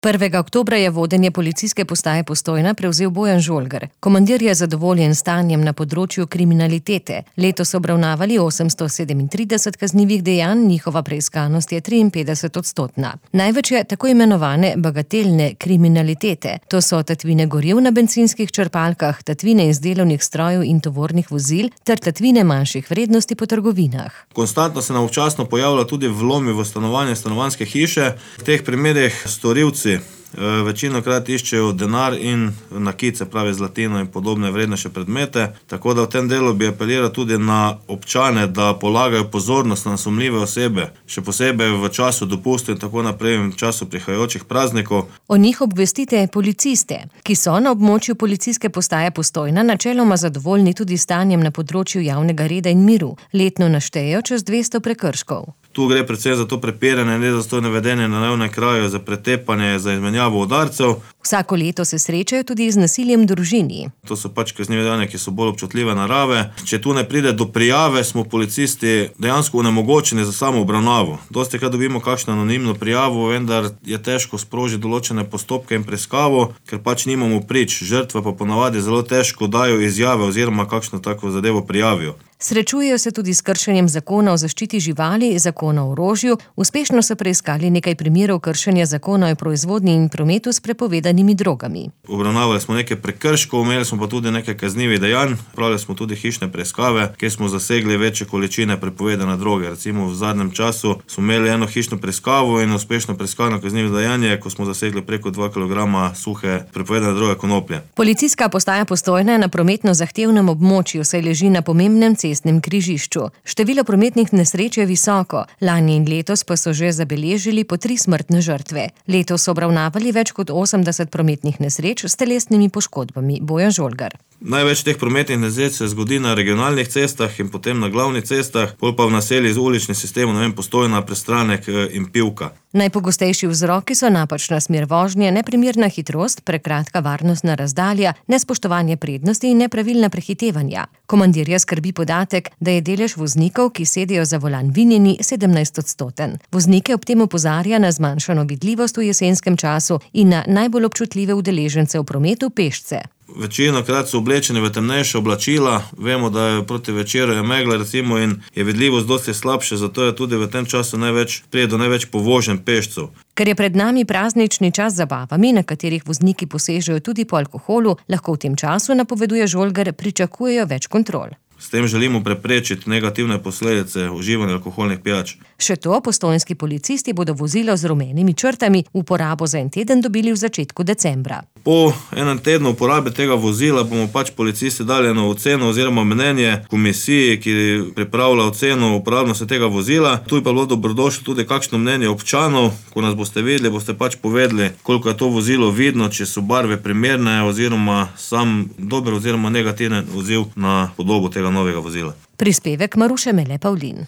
1. oktobra je vodenje policijske postaje Postojna prevzel Bojan Žolgar. Komandir je zadovoljen stanjem na področju kriminalitete. Letos so obravnavali 837 kaznivih dejanj, njihova preiskanost je 53-odstotna. Največ je tako imenovane bagatelne kriminalitete. To so tatvine goriv na bencinskih črpalkah, tatvine iz delovnih strojev in tovornih vozil ter tatvine manjših vrednosti po trgovinah. Konstantno se nam občasno pojavlja tudi vlomi v stanovanje, stanovanjske hiše. V teh primerih storilci večinokrat iščejo denar in nakit, se pravi zlatino in podobne vrednejše predmete. Tako da v tem delu bi apeliral tudi na občane, da polagajo pozornost na sumljive osebe, še posebej v času dopustov in tako naprej, v času prihajajočih praznikov. O njih obvestite policiste, ki so na območju policijske postaje Postojna načeloma zadovoljni tudi stanjem na področju javnega reda in miru. Letno naštejejo čez 200 prekrškov. Tu gre predvsem za to prepiranje, nedostojno vedenje na javnem kraju, za pretepanje, za izmenjavo udarcev. Vsako leto se srečajo tudi z nasiljem v družini. To so kaznive dejanja, ki so bolj občutljive narave. Če tu ne pride do prijave, smo policisti dejansko onemogočeni za samo obravnavo. Dostikrat dobimo kakšno anonimno prijavo, vendar je težko sprožiti določene postopke in preiskavo, ker nimamo prič. Žrtve pa ponavadi zelo težko dajo izjave oziroma kakšno tako zadevo prijavijo. Srečujejo se tudi s kršenjem zakona o zaščiti živali, zakona o orožju. Uspešno so preiskali nekaj primerov kršenja zakona o proizvodnji in prometu s prepovedanimi drogami. Obravnavali smo nekaj prekrškov, imeli smo pa tudi nekaj kaznivih dejanj. Pravili smo tudi hišne preiskave, kjer smo zasegli večje količine prepovedane droge. Recimo v zadnjem času smo imeli eno hišno preiskavo in uspešno preiskano kaznivo dejanje, ko smo zasegli preko 2 kg suhe prepovedane droge konoplje. Policijska postaja Postojna je na prometno zahtevnem območju, saj leži na pomembnem cestnem križišču. Število prometnih nesreč je visoko. Lani in letos pa so že zabeležili po 3 smrtne žrtve. Letos so obravnavali več kot 80 prometnih nesreč s telesnimi poškodbami. Bojan Žolgar. Največ teh prometnih nesreč se zgodi na regionalnih cestah in potem na glavnih cestah, bolj pa v naseljih z uličnim sistemom, Postojna, Prestranek in Pivka. Najpogostejši vzroki so napačna smer vožnje, neprimerna hitrost, prekratka varnostna razdalja, nespoštovanje prednosti in nepravilna prehitevanja. Komandirja skrbi podatek, da je delež voznikov, ki sedijo za volan vinjeni, 17-odstoten. Voznike ob tem opozarja na zmanjšano vidljivost v jesenskem času in na najbolj občutljive udeležence v prometu, pešce. Večinokrat so oblečeni v temnejša oblačila, vemo, da je proti večeru je megla recimo in je vidljivost dosti slabše, zato je tudi v tem času pride do največ povoženj pešcev. Ker je pred nami praznični čas z zabavami, na katerih vozniki posežejo tudi po alkoholu, lahko v tem času, napoveduje Žolgar, pričakujejo več kontrol. S tem želimo preprečiti negativne posledice uživanja alkoholnih pijač. Še to, postojnski policisti bodo vozilo z rumenimi črtami v uporabo za en teden dobili v začetku decembra. Po enem tednu uporabe tega vozila bomo policisti dali eno oceno oziroma mnenje komisiji, ki pripravlja oceno uporabnosti tega vozila. Tu je pa bilo dobrodošlo tudi kakšno mnenje občanov. Ko nas boste videli, boste povedali, koliko je to vozilo vidno, če so barve primerne oziroma sam dober oziroma negativen odziv na podobo tega novega vozila. Prispevek Maruše Mele Pavlin.